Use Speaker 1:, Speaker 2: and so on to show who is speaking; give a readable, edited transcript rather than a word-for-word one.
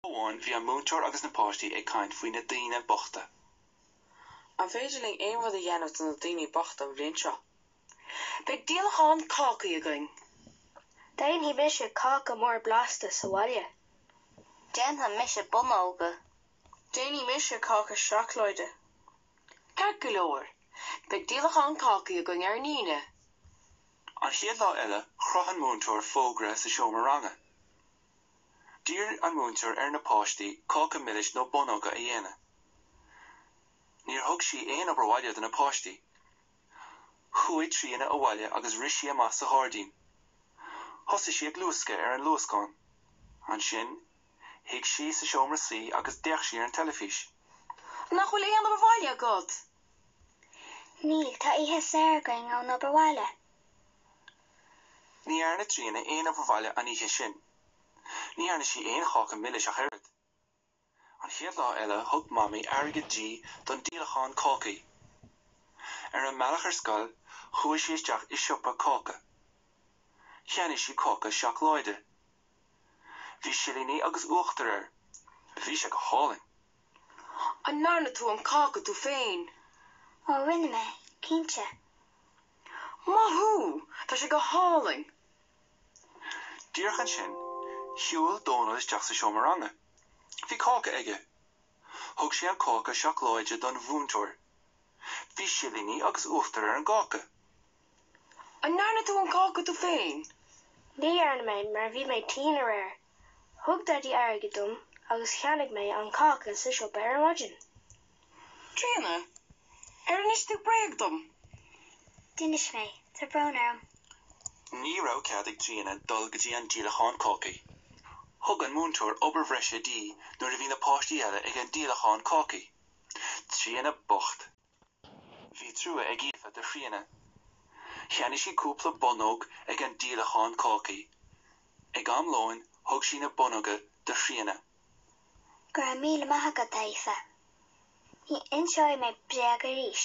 Speaker 1: Amháin bhí an múinteoir agus na páistí ag caint faoi na daoine bochta.
Speaker 2: An féidir linn aon rud a dhéanamh do na daoine bochta an bhliain seo? Beidh díolachán cácaí againn.
Speaker 3: Déanfaidh mise cáca mór blasta sa bhaile.
Speaker 4: Déanfaidh mise bonnóga.
Speaker 5: Déanfaidh mise cáca seacláide.
Speaker 2: Ceart go leor, beidh díolachán cácaí againn ar an Aoine.
Speaker 1: An chéad lá eile, chroch an múinteoir fógra sa seomra ranga. D'iarr an múinteoir ar na páistí cáca milis nó bonnóga a dhéanamh. Níor thug sí aon obair bhaile do na páistí. Chuaigh Tríona abhaile agus rith sí amach sa ghairdín. Thosaigh sí ag luascadh ar an luascán. Ansin, shuigh sí sa seomra suí agus d'fhéach sí ar an teilifís.
Speaker 2: Nach bhfuil aon obair bhaile agat?
Speaker 3: Níl, tá oíche saor againn ón obair bhaile.
Speaker 1: Ní dhearna Tríona aon obair bhaile an oíche sin. Ní dhearna sí aon cháca milis ach oiread. An chéad lá eile thug Mamaí airgead di don díolachán cácaí. Ar an mbealach ar scoil chuaigh sí isteach i siopa cáca. Cheannaigh sí cáca seacláide. Bhí silíní agus uachtar air. Bhí sé go hálainn.
Speaker 2: An ndearna tú an cáca tú féin?
Speaker 3: Ó, rinne mé, cinnte.
Speaker 2: Maith thú! Tá sé go hálainn!
Speaker 1: Díreach ansin, shiúil Dónall isteach sa seomra ranga. Bhí cáca aige. Thug sé an cáca seacláide don mhúinteoir. Bhí silíní agus uachtar ar an gcáca.
Speaker 2: An ndearna tú an cáca tú féin?
Speaker 3: Ní dhearna mé mar bhí mé tinn aréir. Thug Daidí airgead dom agus cheannaigh mé an cáca sa siopa ar maidin.
Speaker 2: Tríona, ar inis tú bréag dom?
Speaker 3: D'inis mé. Tá brón orm.
Speaker 1: Ní raibh cead ag Tríona dul go dtí an díolachán cácaí. Thug an múinteoir obair bhreise di nuair a bhí na páistí eile ag an díolachán cácaí. Tríona bocht. Bhí trua ag Aoife do Thríona. Cheannaigh sí cúpla bonnóg ag an díolachán cácaí. Ag am lóin thug sí na bonnóga do Thríona.
Speaker 3: Go raibh míle maith agat, a Aoife. Ní inseoidh mé bréag arís.